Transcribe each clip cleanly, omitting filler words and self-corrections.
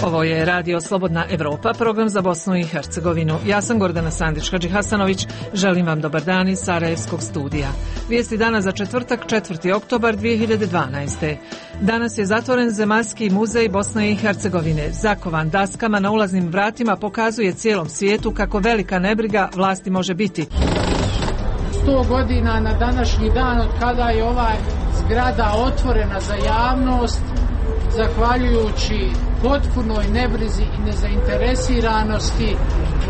Ovo je Radio Slobodna Evropa, program za Bosnu i Hercegovinu. Ja sam Gordana Sandić-Hadži Hasanović. Želim vam dobar dan iz Sarajevskog studija. Vijesti dana za četvrtak, 4. oktobar 2012. Danas je zatvoren Zemaljski muzej Bosne i Hercegovine. Zakovan daskama na ulaznim vratima pokazuje cijelom svijetu kako velika nebriga vlasti može biti. 100 godina na današnji dan od kada je ova zgrada otvorena za javnost, zahvaljujući potpunoj nebrizi i nezainteresiranosti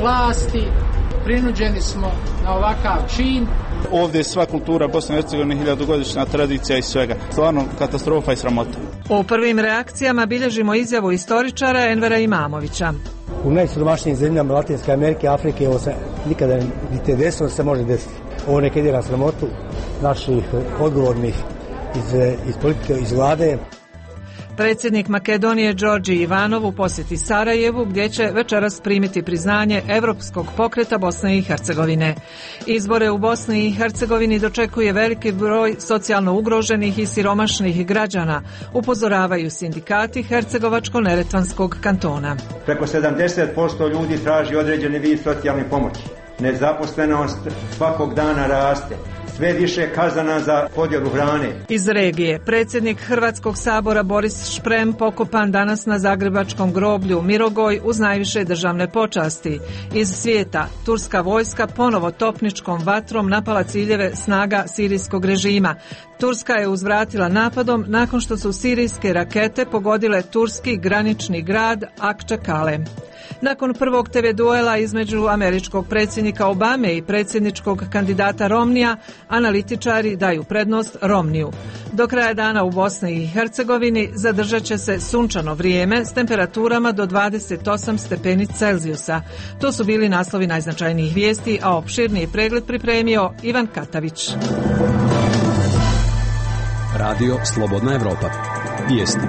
vlasti, prinuđeni smo na ovakav čin. Ovdje je sva kultura Bosne i Hercegovine, 1000-godišnja tradicija i svega. Stvarno katastrofa i sramota. U prvim reakcijama bilježimo izjavu istoričara Envera Imamovića. U najsiromašnijim zemljama Latinske Amerike, Afrike, ovo se nikada niti desilo, se može desiti. Ovo neka ide na sramotu naših odgovornih iz politike, iz vlade. Predsjednik Makedonije Đorđe Ivanov u posjeti Sarajevu, gdje će večeras primiti priznanje Evropskog pokreta Bosne i Hercegovine. Izbore u Bosni i Hercegovini dočekuje veliki broj socijalno ugroženih i siromašnih građana, upozoravaju sindikati Hercegovačko-neretvanskog kantona. Preko 70% ljudi traži određeni vid socijalne pomoći. Nezaposlenost svakog dana raste. Sve više kazana za podjelu hrane. Iz regije, predsjednik Hrvatskog sabora Boris Šprem pokopan danas na zagrebačkom groblju Mirogoj uz najviše državne počasti. Iz svijeta, turska vojska ponovo topničkom vatrom napala ciljeve snaga sirijskog režima. Turska je uzvratila napadom nakon što su sirijske rakete pogodile turski granični grad Akčakale. Nakon prvog TV duela između američkog predsjednika Obame i predsjedničkog kandidata Romnija, analitičari daju prednost Romniju. Do kraja dana u Bosni i Hercegovini zadržat će se sunčano vrijeme s temperaturama do 28 stepeni Celzijusa. To su bili naslovi najznačajnijih vijesti, a opširniji pregled pripremio Ivan Katavić. Radio Slobodna Evropa. Vijesti.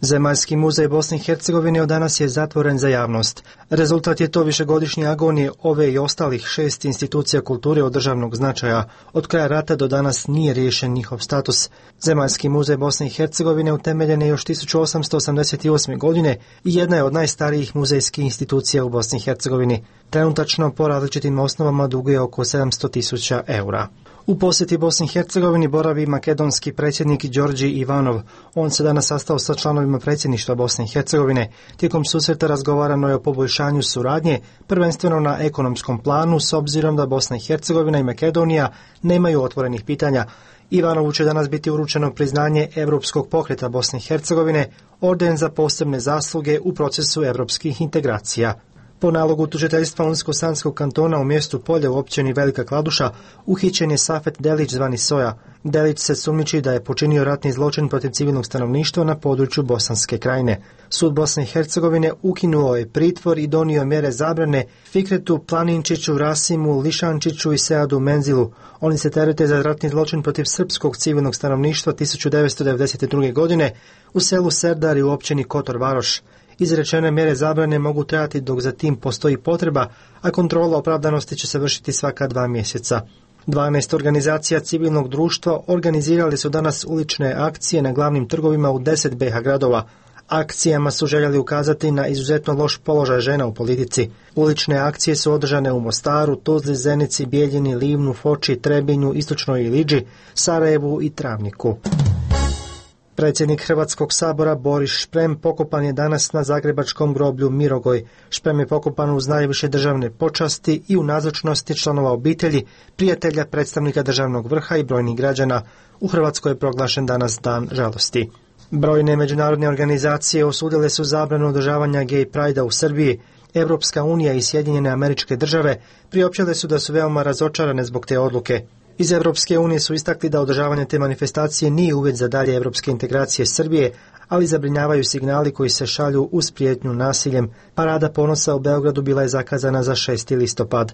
Zemaljski muzej Bosne i Hercegovine od danas je zatvoren za javnost. Rezultat je to višegodišnje agonije ove i ostalih 6 institucija kulture od državnog značaja. Od kraja rata do danas nije riješen njihov status. Zemaljski muzej Bosne i Hercegovine utemeljen je još 1888. godine i jedna je od najstarijih muzejskih institucija u Bosni i Hercegovini. Trenutačno po različitim osnovama duguje oko 700.000 eura. U posjeti Bosni i Hercegovini boravi makedonski predsjednik Đorđe Ivanov. On se danas sastao sa članovima predsjedništva Bosne i Hercegovine. Tijekom susreta razgovarano je o poboljšanju suradnje, prvenstveno na ekonomskom planu, s obzirom da Bosna i Hercegovina i Makedonija nemaju otvorenih pitanja. Ivanovu će danas biti uručeno priznanje Evropskog pokreta Bosne i Hercegovine, orden za posebne zasluge u procesu evropskih integracija. Po nalogu tužiteljstva Unsko-Sanskog kantona u mjestu Polje u općini Velika Kladuša uhićen je Safet Delić zvani Soja. Delić se sumnjiči da je počinio ratni zločin protiv civilnog stanovništva na području Bosanske krajine. Sud Bosne i Hercegovine ukinuo je pritvor i donio mjere zabrane Fikretu Planinčiću, Rasimu Lišančiću i Seadu Menzilu. Oni se terete za ratni zločin protiv srpskog civilnog stanovništva 1992. godine u selu Serdari u općini Kotor Varoš. Izrečene mjere zabrane mogu trajati dok za tim postoji potreba, a kontrola opravdanosti će se vršiti svaka 2 mjeseca. 12 organizacija civilnog društva organizirali su danas ulične akcije na glavnim trgovima u 10 BiH gradova. Akcijama su željeli ukazati na izuzetno loš položaj žena u politici. Ulične akcije su održane u Mostaru, Tuzli, Zenici, Bijeljini, Livnu, Foči, Trebinju, Istočnoj Iliđi, Sarajevu i Travniku. Predsjednik Hrvatskog sabora Boris Šprem pokopan je danas na zagrebačkom groblju Mirogoj. Šprem je pokopan uz najviše državne počasti i u nazočnosti članova obitelji, prijatelja, predstavnika državnog vrha i brojnih građana. U Hrvatskoj je proglašen danas dan žalosti. Brojne međunarodne organizacije osudile su zabranu održavanja gay pride-a u Srbiji. Evropska unija i Sjedinjene Američke Države priopćile su da su veoma razočarane zbog te odluke. Iz Evropske unije su istakli da održavanje te manifestacije nije uvjet za dalje evropske integracije Srbije, ali zabrinjavaju signali koji se šalju uz prijetnju nasiljem. Parada ponosa u Beogradu bila je zakazana za 6. listopad.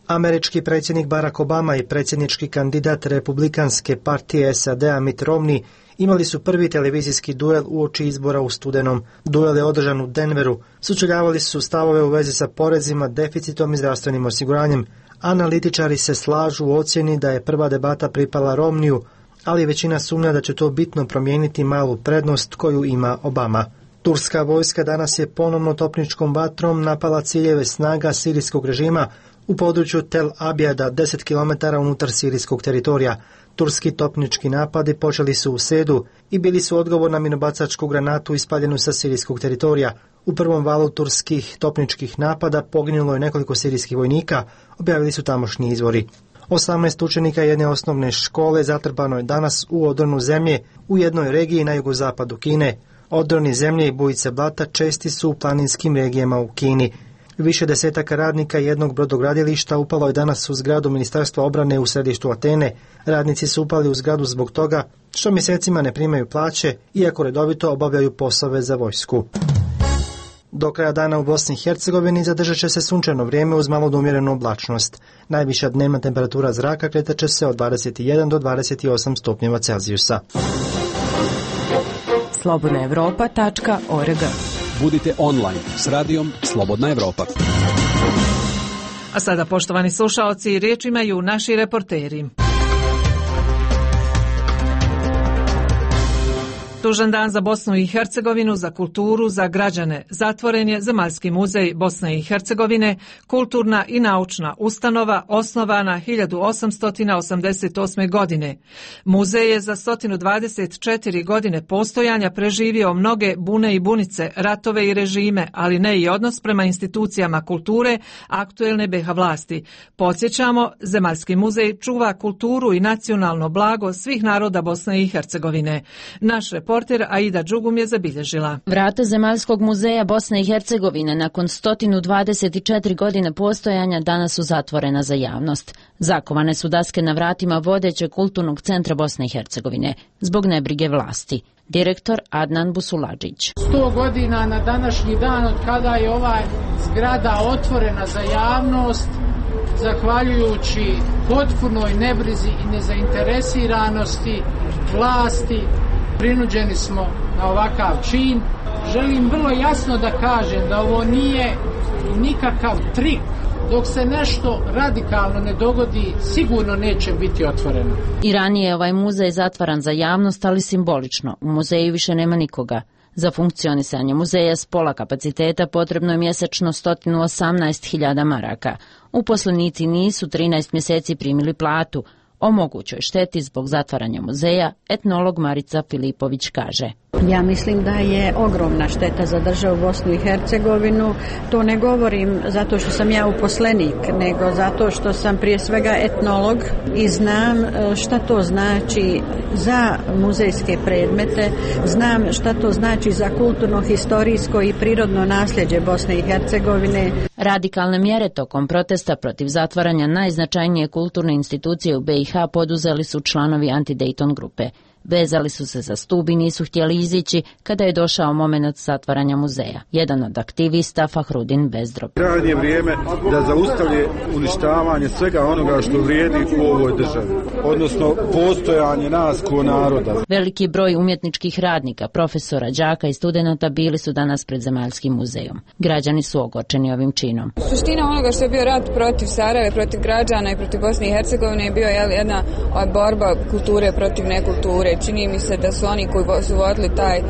Američki predsjednik Barack Obama i predsjednički kandidat Republikanske partije SAD-a Mitt Romney imali su prvi televizijski duel uoči izbora u studenom. Duel je održan u Denveru. Sučeljavali su stavove u vezi sa porezima, deficitom i zdravstvenim osiguranjem. Analitičari se slažu u ocjeni da je prva debata pripala Romneyu, ali većina sumnja da će to bitno promijeniti malu prednost koju ima Obama. Turska vojska danas je ponovno topničkom vatrom napala ciljeve snaga sirijskog režima u području Tel Abijada, 10 km unutar sirijskog teritorija. Turski topnički napadi počeli su u srijedu i bili su odgovor na minobacačku granatu ispaljenu sa sirijskog teritorija. U prvom valu turskih topničkih napada poginulo je nekoliko sirijskih vojnika, objavili su tamošnji izvori. 18 učenika jedne osnovne škole zatrpano je danas u odronu zemlje u jednoj regiji na jugozapadu Kine. Odroni zemlje i bujice blata česti su u planinskim regijama u Kini. Više desetaka radnika jednog brodogradilišta upalo je danas u zgradu Ministarstva obrane u središtu Atene. Radnici su upali u zgradu zbog toga što mjesecima ne primaju plaće, iako redovito obavljaju poslove za vojsku. Do kraja dana u Bosni i Hercegovini zadržat će se sunčano vrijeme uz malo umjerenu oblačnost. Najviša dnevna temperatura zraka kretat će se od 21 do 28 stupnjeva Celzijusa. slobodnaevropa.org. Budite online s radijom Slobodna Evropa. A sada, poštovani slušaoci, riječ imaju naši reporteri. Tužan dan za Bosnu i Hercegovinu, za kulturu, za građane. Zatvoren je Zemaljski muzej Bosne i Hercegovine, kulturna i naučna ustanova osnovana 1888. godine. Muzej je za 124 godine postojanja preživio mnoge bune i bunice, ratove i režime, ali ne i odnos prema institucijama kulture aktuelne BiH vlasti. Podsjećamo, Zemaljski muzej čuva kulturu i nacionalno blago svih naroda Bosne i Hercegovine. Naš reporter Aida Đugum je zabilježila. Vrata Zemaljskog muzeja Bosne i Hercegovine nakon 124 godine postojanja danas su zatvorena za javnost. Zakovane su daske na vratima vodećeg kulturnog centra Bosne i Hercegovine zbog nebrige vlasti. Direktor Adnan Busuladžić. 100 godina na današnji dan od kada je ova zgrada otvorena za javnost, zahvaljujući potpunoj nebrizi i nezainteresiranosti vlasti, prinuđeni smo na ovakav čin. Želim vrlo jasno da kažem da ovo nije nikakav trik. Dok se nešto radikalno ne dogodi, sigurno neće biti otvoreno. I ranije je ovaj muzej zatvaran za javnost, ali simbolično. U muzeju više nema nikoga. Za funkcionisanje muzeja s pola kapaciteta potrebno je mjesečno 118.000 maraka. Uposlenici nisu 13 mjeseci primili platu. O mogućoj šteti zbog zatvaranja muzeja etnolog Marica Filipović kaže. Ja mislim da je ogromna šteta za državu Bosnu i Hercegovinu. To ne govorim zato što sam ja uposlenik, nego zato što sam prije svega etnolog i znam šta to znači za muzejske predmete, znam šta to znači za kulturno, historijsko i prirodno nasljeđe Bosne i Hercegovine. Radikalne mjere tokom protesta protiv zatvaranja najznačajnije kulturne institucije u BiH poduzeli su članovi Anti-Dayton grupe. Vezali su se za stup i nisu htjeli izići kada je došao moment zatvaranja muzeja. Jedan od aktivista, Fahrudin Bezdrob. Krajnje vrijeme da zaustavi uništavanje svega onoga što vrijedi u ovoj državi, odnosno postojanje nas ko naroda. Veliki broj umjetničkih radnika, profesora, đaka i studenata bili su danas pred Zemaljskim muzejom. Građani su ogorčeni ovim činom. Suština onoga što je bio rat protiv Sarajeva, protiv građana i protiv Bosne i Hercegovine je bio jedna borba kulture protiv nekulture. Čini mi se da su oni koji su vodili taj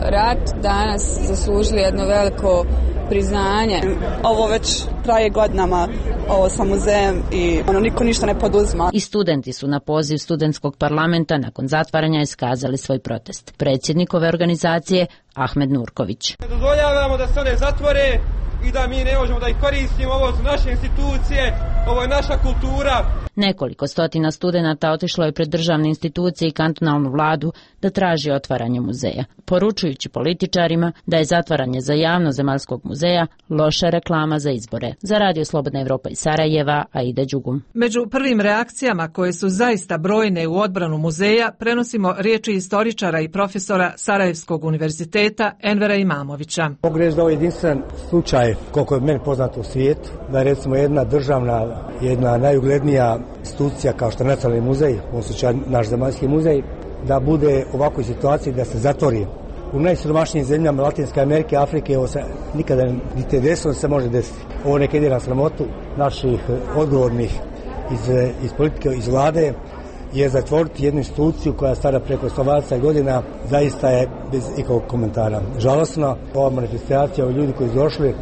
rat danas zaslužili jedno veliko priznanje. Ovo već traje godinama, ovo sa muzejem i niko ništa ne poduzima. I studenti su na poziv studentskog parlamenta nakon zatvaranja iskazali svoj protest. Predsjednik ove organizacije Ahmed Nurković. Ne dozvoljavamo da se one zatvore i da mi ne možemo da ih koristimo, ovo su naše institucije, ovo je naša kultura. Nekoliko stotina studenata otišlo je pred državne institucije i kantonalnu vladu da traži otvaranje muzeja, poručujući političarima da je zatvaranje za javno Zemaljskog muzeja loša reklama za izbore. Za Radio Slobodna Evropa iz Sarajeva, Aida Đugum. Među prvim reakcijama koje su zaista brojne u odbranu muzeja prenosimo riječi istoričara i profesora Sarajevskog univerziteta Envera Imamovića. Mogu reći da ovo je jedinstven slučaj, koliko je meni poznato u svijetu, da je recimo jedna državna, jedna najuglednija institucija kao što je Nacionalni muzej, u ovom slučaju naš Zemaljski muzej, da bude u ovakvoj situaciji da se zatvori. U najsiromašnijim zemljama Latinske Amerike, Afrike, ovo se nikada niti desilo se može desiti. Ovo neka ide na sramotu naših odgovornih iz politike, iz vlade, jer zatvoriti jednu instituciju koja je stara preko 120 godina zaista je bez ikakvog komentara. Žalosno, ova manifestacija, ovi ljudi koji su došli,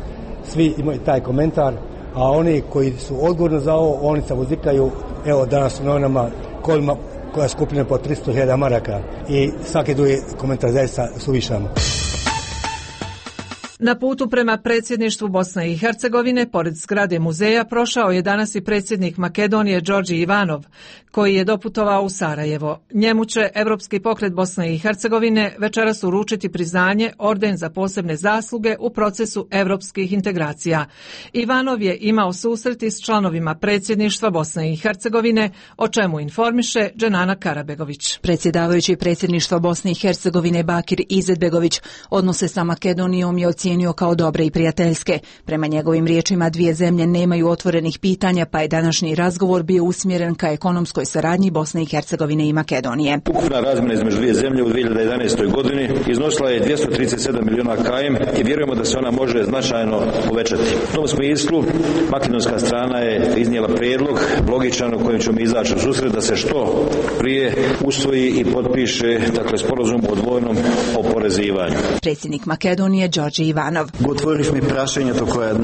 svi imaju taj komentar, a oni koji su odgovorni za ovo, oni se vozikaju, evo danas u novinama koja je skupljena po 300.000 maraka i svaki drugi komentar zaista suvišan. Na putu prema predsjedništvu Bosne i Hercegovine, pored zgrade muzeja, prošao je danas i predsjednik Makedonije Đorđe Ivanov, koji je doputovao u Sarajevo. Njemu će Evropski pokret Bosne i Hercegovine večeras uručiti priznanje Orden za posebne zasluge u procesu evropskih integracija. Ivanov je imao susreti s članovima predsjedništva Bosne i Hercegovine, o čemu informiše Dženana Karabegović. Predsjedavajući predsjedništva Bosne i Hercegovine Bakir Izetbegović odnose sa Makedonijom je ocijenio kao dobre i prijateljske. Prema njegovim riječima, dvije zemlje nemaju otvorenih pitanja, pa je današnji razgovor bio usmjeren ka ekonomskoj saradnji Bosne i Hercegovine i Makedonije. Ukupna razmjena između dvije zemlje u 2011. godini iznosila je 237 milijuna km i vjerujemo da se ona može značajno povećati. U tom smislu, makedonska strana je iznijela prijedlog logičan u kojem ćemo izaći u susret da se što prije usvoji i potpiše sporazum o dvojnom oporezivanju. Predsjednik Makedonije Đorđe Ivanov. Otvorili prašenje to koje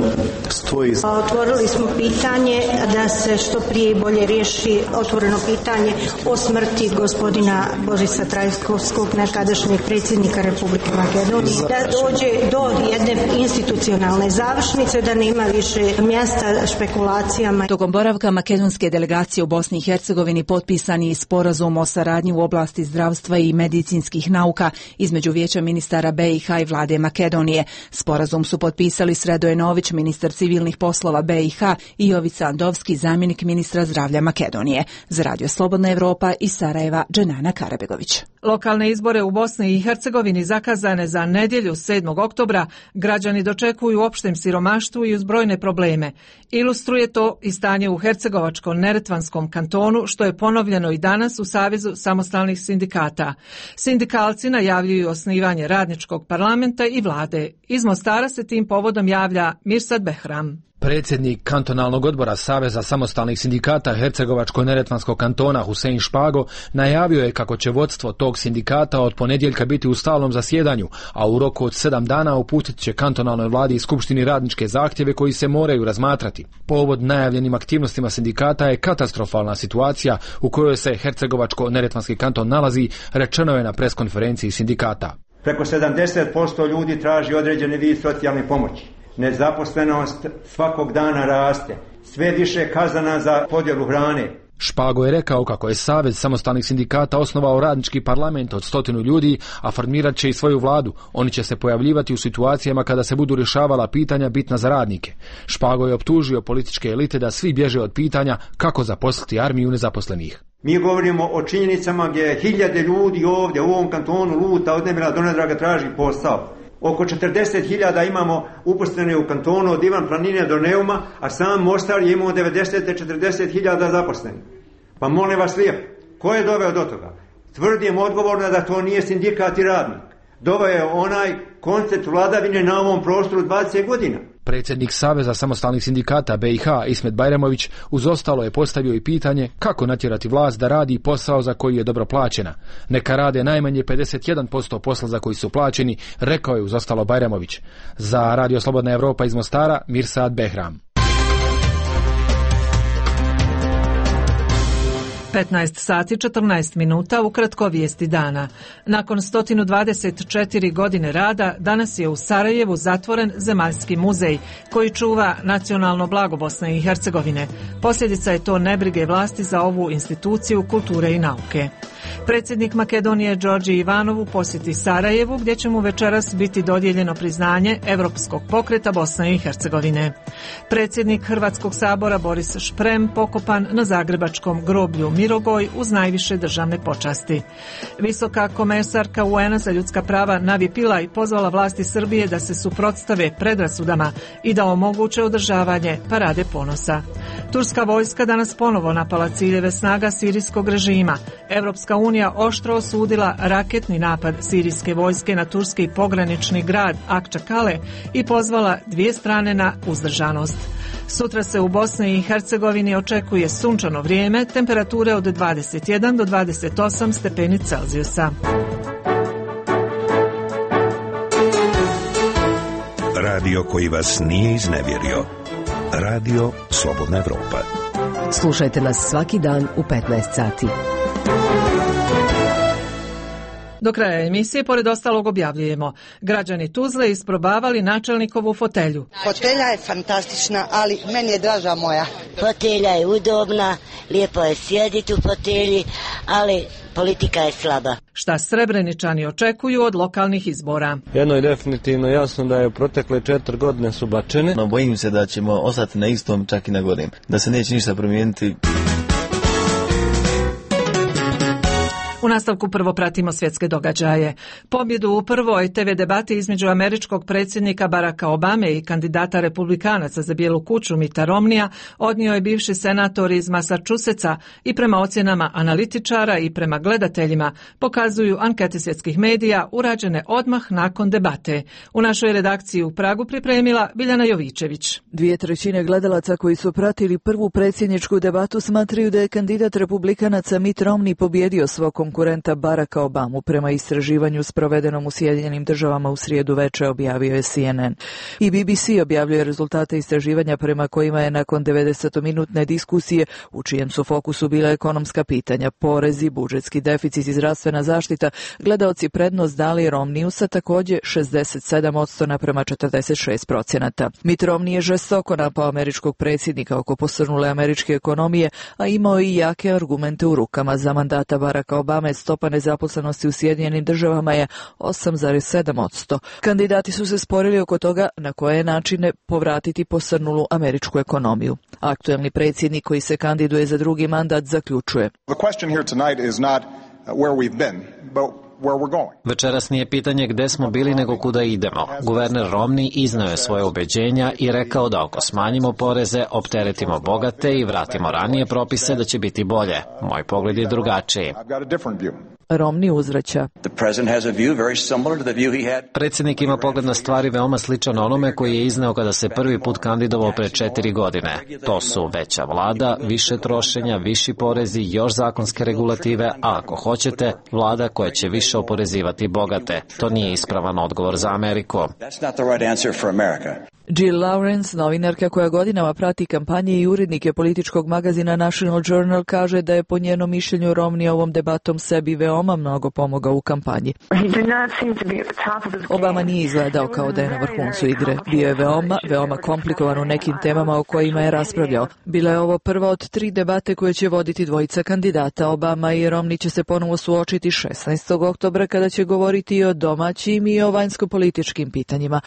stoji. Otvorili smo pitanje da se što prije i bolje riješi otvoreno pitanje o smrti gospodina Borisa Trajkovskog, nekadašnjeg predsjednika Republike Makedonije, da dođe do jedne institucionalne završnice, da nema više mjesta špekulacijama. Tokom boravka makedonske delegacije u Bosni i Hercegovini potpisan je sporazum o saradnji u oblasti zdravstva i medicinskih nauka između Vijeća ministara BiH i vlade Makedonije. Sporazum su potpisali Sredoje Nović, ministar civilnih poslova BiH, i Jovica Andovski, zamjenik ministra zdravlja Makedonije. Za Radio Slobodna Evropa iz Sarajeva, Dženana Karabegović. Lokalne izbore u Bosni i Hercegovini zakazane za nedjelju 7. oktobra građani dočekuju u opštem siromaštvu i uz brojne probleme. Ilustruje to i stanje u Hercegovačko-Neretvanskom kantonu, što je ponovljeno i danas u Savezu samostalnih sindikata. Sindikalci najavljuju osnivanje radničkog parlamenta i vlade. Iz Mostara se tim povodom javlja Mirsad Behram. Predsjednik kantonalnog odbora Saveza samostalnih sindikata Hercegovačko-Neretvanskog kantona Husein Špago najavio je kako će vodstvo tog sindikata od ponedjeljka biti u stalnom zasjedanju, a u roku od 7 dana uputit će kantonalnoj vladi i skupštini radničke zahtjeve koji se moraju razmatrati. Povod najavljenim aktivnostima sindikata je katastrofalna situacija u kojoj se Hercegovačko-Neretvanski kanton nalazi, rečeno je na preskonferenciji sindikata. Preko 70% ljudi traži određeni vid socijalne pomoći. Nezaposlenost svakog dana raste. Sve više kazana za podjelu hrane. Špago je rekao kako je Savez samostalnih sindikata osnovao radnički parlament od 100 ljudi, a formirat će i svoju vladu. Oni će se pojavljivati u situacijama kada se budu rješavala pitanja bitna za radnike. Špago je optužio političke elite da svi bježe od pitanja kako zaposliti armiju nezaposlenih. Mi govorimo o činjenicama gdje hiljade ljudi ovdje u ovom kantonu luta od nemira do nedraga traži posao. Oko 40.000 imamo uposlene u kantonu od Ivan Planine do Neuma, a sam Mostar je imao 40.000 zaposlenih. Pa molim vas lijepo, ko je doveo do toga? Tvrdim odgovorno da to nije sindikat i radnik. Doveo je onaj koncept vladavine na ovom prostoru 20 godina. Predsjednik Saveza samostalnih sindikata BiH Ismet Bajramović uz ostalo je postavio i pitanje kako natjerati vlast da radi posao za koji je dobro plaćena. Neka rade najmanje 51% posla za koji su plaćeni, rekao je uz ostalo Bajramović. Za Radio Slobodna Evropa iz Mostara, Mirsad Behram. 15 sati 14 minuta, ukratko vijesti dana. Nakon 124 godine rada, danas je u Sarajevu zatvoren Zemaljski muzej, koji čuva nacionalno blago Bosne i Hercegovine. Posljedica je to nebrige vlasti za ovu instituciju kulture i nauke. Predsjednik Makedonije Đorđe Ivanov u posjeti Sarajevu, gdje će mu večeras biti dodijeljeno priznanje Evropskog pokreta Bosne i Hercegovine. Predsjednik Hrvatskog sabora Boris Šprem pokopan na zagrebačkom groblju Mirogoj uz najviše državne počasti. Visoka komesarka UN-a za ljudska prava Navi Pillay pozvala vlasti Srbije da se suprotstave predrasudama i da omoguće održavanje parade ponosa. Turska vojska danas ponovo napala ciljeve snaga sirijskog režima. Evropska unija oštro osudila raketni napad sirijske vojske na turski pogranični grad Akčakale i pozvala dvije strane na uzdržanost. Sutra se u Bosni i Hercegovini očekuje sunčano vrijeme, temperature od 21 do 28 stepeni Celzijusa. Radio koji vas nije iznevjerio. Radio Slobodna Evropa. Slušajte nas svaki dan u 15 sati. Do kraja emisije, pored ostalog, objavljujemo: građani Tuzle isprobavali načelnikovu fotelju. Fotelja je fantastična, ali meni je draža moja. Fotelja je udobna, lijepo je sjediti u fotelji, ali politika je slaba. Šta Srebreničani očekuju od lokalnih izbora? Jedno je definitivno jasno da je protekle 4 godine su bačene. No, bojim se da ćemo ostati na istom, čak i na gorim. Da se neće ništa promijeniti. U nastavku prvo pratimo svjetske događaje. Pobjedu u prvoj TV debati između američkog predsjednika Baracka Obame i kandidata republikanaca za Bijelu kuću Mitta Romneya odnio je bivši senator iz Massachusettsa i prema ocjenama analitičara i prema gledateljima pokazuju ankete svjetskih medija urađene odmah nakon debate. U našoj redakciji u Pragu pripremila Biljana Jovičević. 2/3 gledalaca koji su pratili prvu predsjedničku debatu smatraju da je kandidat republikanaca Mitt Romney pobjedio svog konkurenta Baracka Obamu, prema istraživanju sprovedenom u Sjedinjenim Državama u srijedu veče, objavio je CNN. I BBC objavljuje rezultate istraživanja prema kojima je nakon 90-minutne diskusije, u čijem su fokusu bila ekonomska pitanja, porezi, budžetski deficit i zdravstvena zaštita, gledaoci prednost dali Romneyu sa također 67% naprema 46%. Mitt Romney je žestoko napao američkog predsjednika oko posrnule američke ekonomije, a imao i jake argumente u rukama. Za mandata Baracka Obame stopa nezaposlenosti u Sjedinjenim Državama je 8,7%. Kandidati su se sporili oko toga na koje načine povratiti posrnulu američku ekonomiju. Aktuelni predsjednik koji se kandiduje za drugi mandat zaključuje: Večeras nije pitanje gdje smo bili nego kuda idemo. Guverner Romney iznao je svoje ubeđenja i rekao da ako smanjimo poreze, opteretimo bogate i vratimo ranije propise da će biti bolje. Moj pogled je drugačiji. Romney uzvraća: Predsjednik ima pogled na stvari veoma sličan onome koji je izneo kada se prvi put kandidovao pre 4 godine. To su veća vlada, više trošenja, viši porezi, još zakonske regulative, a ako hoćete, vlada koja će više oporezivati bogate. To nije ispravan odgovor za Ameriku. Jill Lawrence, novinarka koja godinama prati kampanje i urednike političkog magazina National Journal, kaže da je po njenom mišljenju Romney ovom debatom sebi veoma mnogo pomogao u kampanji. Obama nije izgledao kao da je na vrhuncu igre. Bio je veoma komplikovan u nekim temama o kojima je raspravljao. Bila je ovo prva od 3 debate koje će voditi dvojica kandidata. Obama i Romney će se ponovo suočiti 16. oktobra kada će govoriti i o domaćim i o vanjskopolitičkim pitanjima.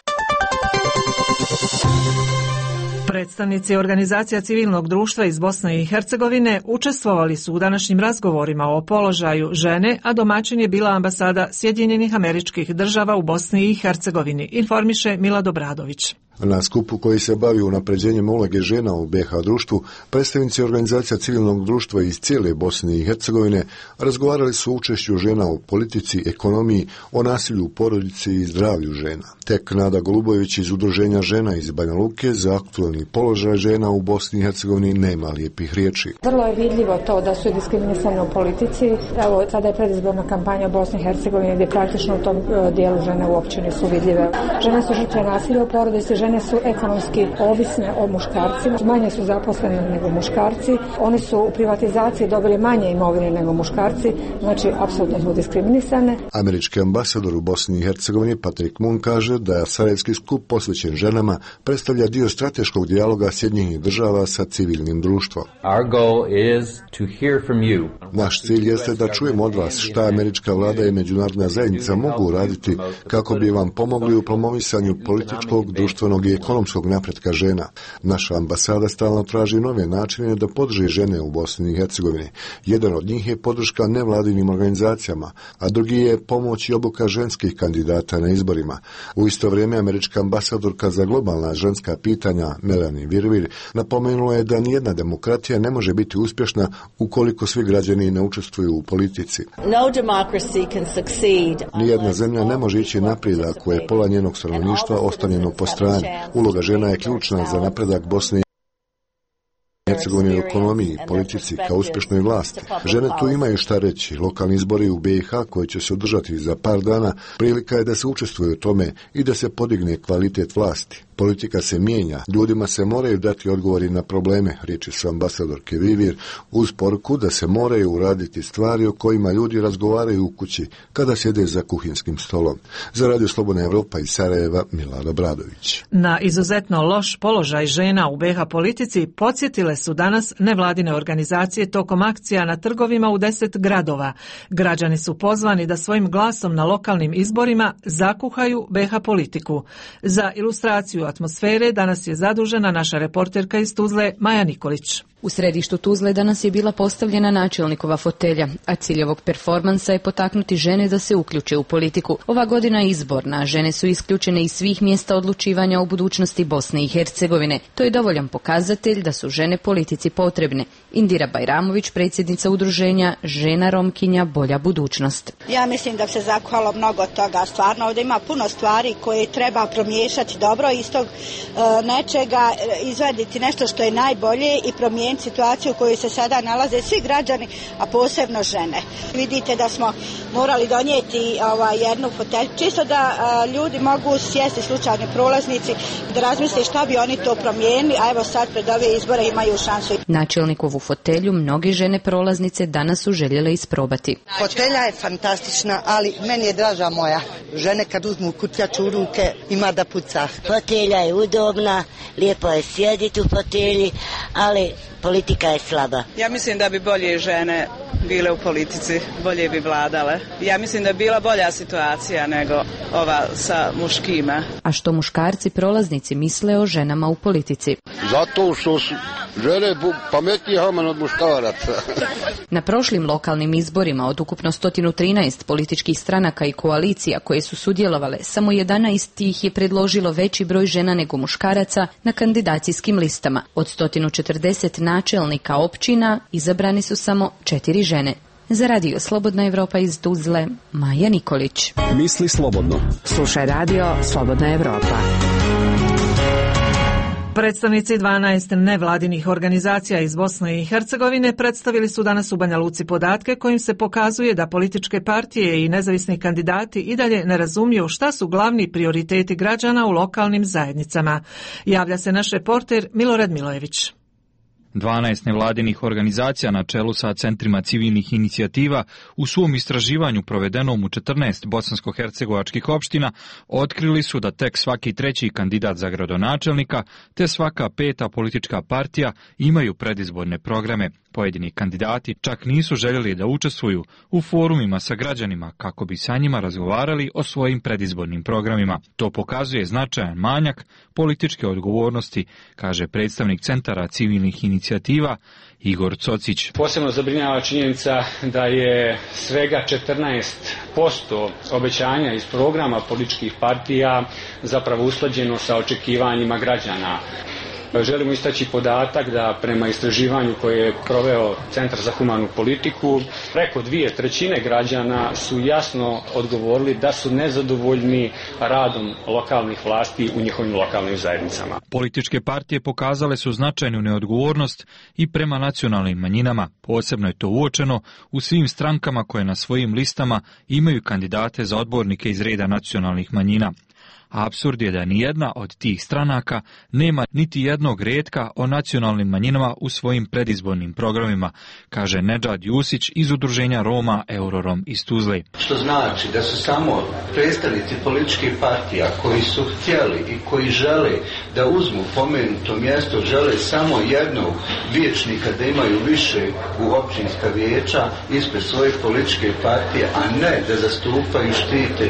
Predstavnici organizacija civilnog društva iz Bosne i Hercegovine učestvovali su u današnjim razgovorima o položaju žene, a domaćin je bila ambasada Sjedinjenih Američkih Država u Bosni i Hercegovini, informiše Milad Obradović. Na skupu koji se bavi unapređenjem uloge žena u BiH društvu, predstavnici organizacija civilnog društva iz cijele Bosne i Hercegovine razgovarali su o učešću žena u politici, ekonomiji, o nasilju u porodici i zdravlju žena. Tek Nada Golubović iz Udruženja žena iz Banja Luke za aktualni položaj žena u Bosni i Hercegovini nema lijepih riječi. Vrlo je vidljivo to da su diskriminisane u politici. Evo, sada je predizborna kampanja u Bosni i Hercegovini gdje praktično u tom dijelu žene uopće nisu vidljive. Žene su žrtve nasilja u porodici, žene su ekonomski ovisne o muškarcima, manje su zaposlene nego muškarci, oni su u privatizaciji dobili manje imovine nego muškarci, znači apsolutno su diskriminisane. Američki ambasador u Bosni i Hercegovini Patrick Moon kaže da Sarajevski skup posvećen ženama predstavlja dio strateškog dijaloga Sjedinjenih Država sa civilnim društvom. Naš cilj jeste da čujemo od vas šta američka vlada i međunarodna zajednica mogu uraditi kako bi vam pomogli u promovisanju političkog, društvenog i ekonomskog napretka žena. Naša ambasada stalno traži nove načine da podrži žene u Bosni i Hercegovini. Jedan od njih je podrška nevladinim organizacijama, a drugi je pomoć i obuka ženskih kandidata na izborima. U isto vrijeme američka ambasadorka za globalna ženska pitanja Melanie Virvir napomenula je da nijedna demokratija ne može biti uspješna ukoliko svi građani ne učestvuju u politici. Nijedna zemlja ne može ići naprijed ako je pola njenog stanovništva ostavljeno po strani. Uloga žena je ključna za napredak Bosne. Hercegovini, ekonomiji, politici, kao uspješnoj vlasti. Žene tu imaju šta reći. Lokalni izbori u BiH koji će se održati za par dana prilika je da se učestvuje u tome i da se podigne kvalitet vlasti. Politika se mijenja, ljudima se moraju dati odgovori na probleme, riječi su ambasadorke Vivir, uz poruku da se moraju uraditi stvari o kojima ljudi razgovaraju u kući kada sjede za kuhinskim stolom. Za Radio Slobodna Evropa iz Sarajeva, Milana Bradović. Na izuzetno loš položaj žena u BiH politici podsjetile su danas nevladine organizacije tokom akcija na trgovima u 10 gradova. Građani su pozvani da svojim glasom na lokalnim izborima zakuhaju BiH politiku. Za ilustraciju atmosfere danas je zadužena naša reporterka iz Tuzle Maja Nikolić. U središtu Tuzle danas je bila postavljena načelnikova fotelja, a cilj ovog performansa je potaknuti žene da se uključe u politiku. Ova godina je izborna, a žene su isključene iz svih mjesta odlučivanja o budućnosti Bosne i Hercegovine. To je dovoljan pokazatelj da su žene politici potrebne. Indira Bajramović, predsjednica udruženja Žena Romkinja Bolja budućnost. Ja mislim da se zakuhalo mnogo toga. Stvarno ovdje ima puno stvari koje treba promiješati dobro iz tog nečega, izvaditi nešto što je najbolje i promijeniti situaciju u kojoj se sada nalaze svi građani, a posebno žene. Vidite da smo morali donijeti jednu fotelju, čisto da ljudi mogu sjesti, slučajni prolaznici, da razmisle šta bi oni to promijenili, a evo sad pred ove izbore imaju šansu. Načelnikovu fotelju mnoge žene prolaznice danas su željele isprobati. Fotelja je fantastična, ali meni je draža moja. Žene kad uzmu kutjaču u ruke ima da puca. Fotelja je udobna, lijepo je sjediti u fotelji, ali politika je slaba. Ja mislim da bi bolje žene bile u politici, bolje bi vladale. Ja mislim da bi bila bolja situacija nego ova sa muškima. A što muškarci prolaznici misle o ženama u politici? Zato što su žene pametnije od muškaraca. Na prošlim lokalnim izborima od ukupno 113 političkih stranaka i koalicija koje su sudjelovale, samo 11 tih je predložilo veći broj žena nego muškaraca na kandidacijskim listama. Od 140 načelnika općina izabrani su samo 4 žene. Za Radio Slobodna Evropa iz Tuzle, Maja Nikolić. Misli slobodno. Slušaj Radio Slobodna Evropa. Predstavnici 12 nevladinih organizacija iz Bosne i Hercegovine predstavili su danas u Banja Luci podatke kojim se pokazuje da političke partije i nezavisni kandidati i dalje ne razumiju šta su glavni prioriteti građana u lokalnim zajednicama. Javlja se naš reporter Milorad Milojević. 12 nevladinih organizacija na čelu sa centrima civilnih inicijativa u svom istraživanju provedenom u 14 bosansko-hercegovačkih opština otkrili su da tek svaki treći kandidat za gradonačelnika te svaka peta politička partija imaju predizborne programe. Pojedini kandidati čak nisu željeli da učestvuju u forumima sa građanima kako bi sa njima razgovarali o svojim predizbornim programima. To pokazuje značajan manjak političke odgovornosti, kaže predstavnik centara civilnih inicijativa Igor Cocić. Posebno zabrinjava činjenica da je svega 14% obećanja iz programa političkih partija zapravo usklađeno sa očekivanjima građana. Želimo istaći podatak da prema istraživanju koje je proveo Centar za humanu politiku, preko 2/3 građana su jasno odgovorili da su nezadovoljni radom lokalnih vlasti u njihovim lokalnim zajednicama. Političke partije pokazale su značajnu neodgovornost i prema nacionalnim manjinama. Posebno je to uočeno u svim strankama koje na svojim listama imaju kandidate za odbornike iz reda nacionalnih manjina. Apsurd je da nijedna od tih stranaka nema niti jednog retka o nacionalnim manjinama u svojim predizbornim programima, kaže Nedžad Jusić iz udruženja Roma Eurorom iz Tuzle. Što znači da su samo predstavnici političkih partija koji su htjeli i koji žele da uzmu pomenuto mjesto, žele samo jednog vijećnika da imaju više u općinska vijeća ispred svoje političke partije, a ne da zastupaju, štite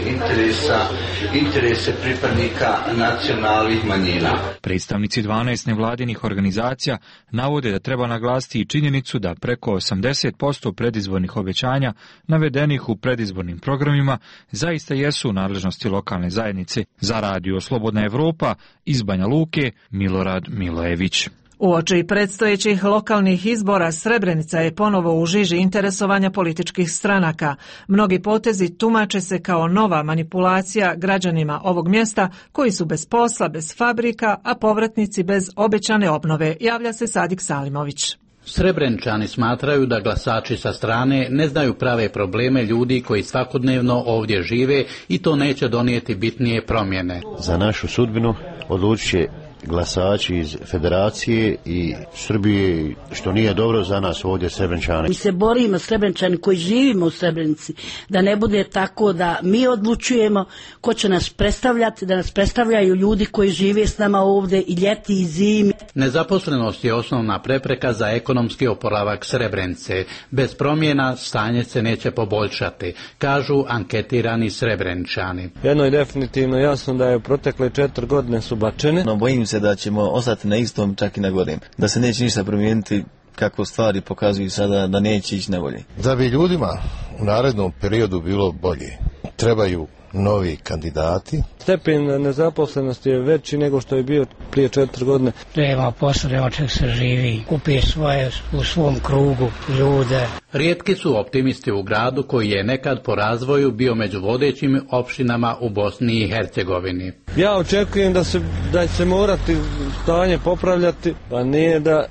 interese pripadnika nacionalnih manjina. Predstavnici 12 nevladinih organizacija navode da treba naglasiti i činjenicu da preko 80% predizbornih obećanja navedenih u predizbornim programima zaista jesu u nadležnosti lokalne zajednice. Za Radio Slobodna Evropa iz Banja Luke, Milorad Milojević. Uoči predstojećih lokalnih izbora Srebrenica je ponovo u žiži interesovanja političkih stranaka. Mnogi potezi tumače se kao nova manipulacija građanima ovog mjesta koji su bez posla, bez fabrika, a povratnici bez obećane obnove, javlja se Sadik Salimović. Srebrenčani smatraju da glasači sa strane ne znaju prave probleme ljudi koji svakodnevno ovdje žive i to neće donijeti bitnije promjene. Za našu sudbinu odlučit će glasači iz Federacije i Srbije, što nije dobro za nas ovdje Srebrenčani. Mi se borimo, Srebrenčani koji živimo u Srebrenici, da ne bude tako da mi odlučujemo ko će nas predstavljati, da nas predstavljaju ljudi koji žive s nama ovdje i ljeti i zimi. Nezaposlenost je osnovna prepreka za ekonomski oporavak Srebrenice. Bez promjena stanje se neće poboljšati, kažu anketirani Srebrenčani. Jedno je definitivno jasno da je protekle 4 godine su bačene. No, bojim se da ćemo ostati na istom, čak i na gorim. Da se neće ništa promijeniti, kako stvari pokazuju sada, da neće ići na bolje. Da bi ljudima u narednom periodu bilo bolje, trebaju novi kandidati. Stepen nezaposlenosti je veći nego što je bio prije 4 godine. Treba posao, treba čak se živi, kupi svoje u svom krugu ljude. Rijetki su optimisti u gradu koji je nekad po razvoju bio među vodećim opštinama u Bosni i Hercegovini. Ja očekujem da će se morati stanje popravljati, pa nije da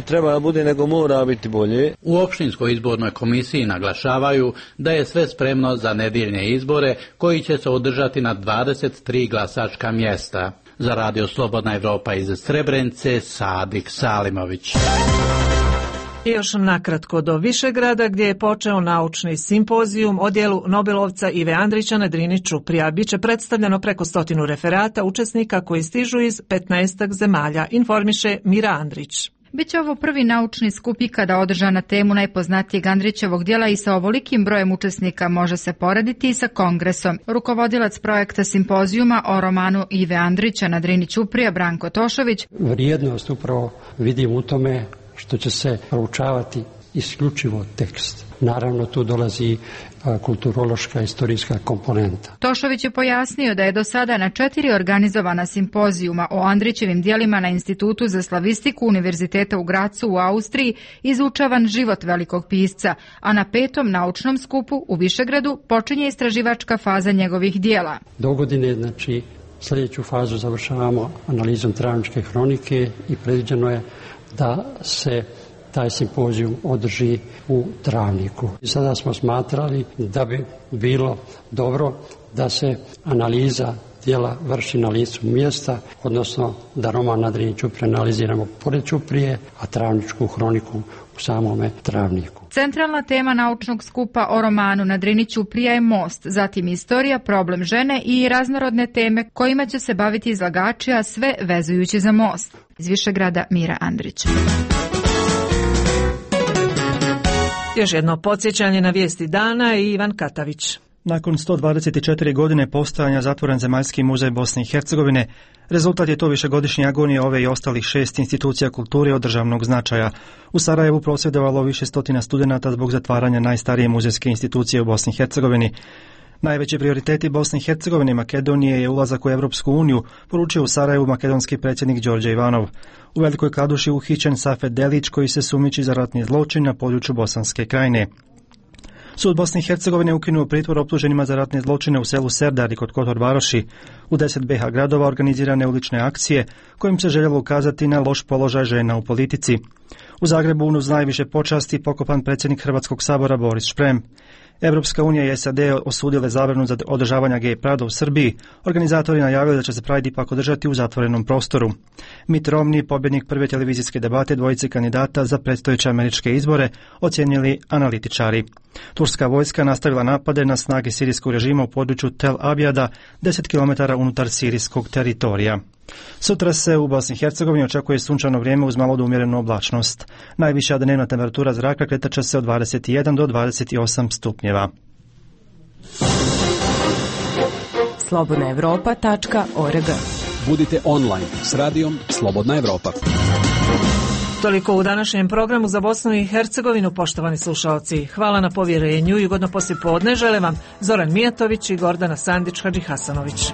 treba da bude, nego mora biti bolje. U opštinskoj izbornoj komisiji naglašavaju da je sve spremno za nedjeljne izbore koji će se održati na 23 glasačka mjesta. Za Radio Slobodna Evropa iz Srebrenice, Sadik Salimović. I još nakratko do Višegrada gdje je počeo naučni simpozijum o djelu Nobelovca Ive Andrića na Drini Ćuprija. Biće predstavljeno preko 100 referata učesnika koji stižu iz 15 zemalja, informiše Mira Andrić. Biće ovo prvi naučni skup ikada održan na temu najpoznatijeg Andrićevog djela i sa ovolikim brojem učesnika može se porediti i sa kongresom. Rukovodilac projekta simpozijuma o romanu Ive Andrića na Drini Ćuprija, Branko Tošović. Vrijednost upravo vidim u tome što će se proučavati isključivo tekst. Naravno, tu dolazi kulturološka istorijska komponenta. Tošović je pojasnio da je do sada na 4 organizovana simpozijuma o Andrićevim djelima na Institutu za slavistiku Univerziteta u Gracu u Austriji izučavan život velikog pisca, a na 5. naučnom skupu u Višegradu počinje istraživačka faza njegovih djela. Dogodine, znači, sljedeću fazu završavamo analizom Travničke hronike i predviđeno je da se taj simpozijum održi u Travniku. Sada smo smatrali da bi bilo dobro da se analiza djela vrši na licu mjesta, odnosno da roman na Drini Ćuprije analiziramo pored Ćuprije, a Travničku hroniku u samome Travniku. Centralna tema naučnog skupa o romanu na Drini Ćuprija je most, zatim istorija, problem žene i raznorodne teme kojima će se baviti izlagači, a sve vezujući za most. Iz Višegrada, Mira Andrić. Još jedno podsjećanje na vijesti dana i Ivan Katavić. Nakon 124 godine postojanja zatvoren Zemaljski muzej Bosne i Hercegovine, rezultat je to višegodišnje agonije ove i ostalih 6 institucija kulture od državnog značaja. U Sarajevu prosvjedovalo više stotina studenata zbog zatvaranja najstarije muzejske institucije u Bosni i Hercegovini. Najveći prioriteti Bosne i Hercegovine i Makedonije je ulazak u Europsku uniju, poručio u Sarajevu makedonski predsjednik Đorđe Ivanov. U Velikoj Kladuši uhićen Safet Delić koji se sumnjiči za ratni zločin na području Bosanske krajine. Sud Bosne i Hercegovine ukinuo pritvor optuženima za ratne zločine u selu Serdar i kod Kotor Varoši. U 10 BiH gradova organizirane ulične akcije kojim se željelo ukazati na loš položaj žena u politici. U Zagrebu uz najviše počasti pokopan predsjednik Hrvatskog sabora Boris Šprem. Evropska unija i SAD osudile zabranu za održavanja gej parada u Srbiji. Organizatori najavili da će se Pride ipak održati u zatvorenom prostoru. Mitt Romney, pobjednik prve televizijske debate dvojice kandidata za predstojeće američke izbore, ocijenili analitičari. Turska vojska nastavila napade na snage sirijskog režima u području Tel Abjada, 10 km unutar sirijskog teritorija. Sutra se u Bosni i Hercegovini očekuje sunčano vrijeme uz malo do umjerenu oblačnost. Najviša dnevna temperatura zraka kretat će se od 21 do 28 stupnjeva. slobodnaevropa.org. Budite online s radijom Slobodna Evropa. Toliko u današnjem programu za Bosnu i Hercegovinu, poštovani slušalci. Hvala na povjerenju i ugodno poslijepodne žele vam Zoran Mijatović i Gordana Sandić Hadžihasanović.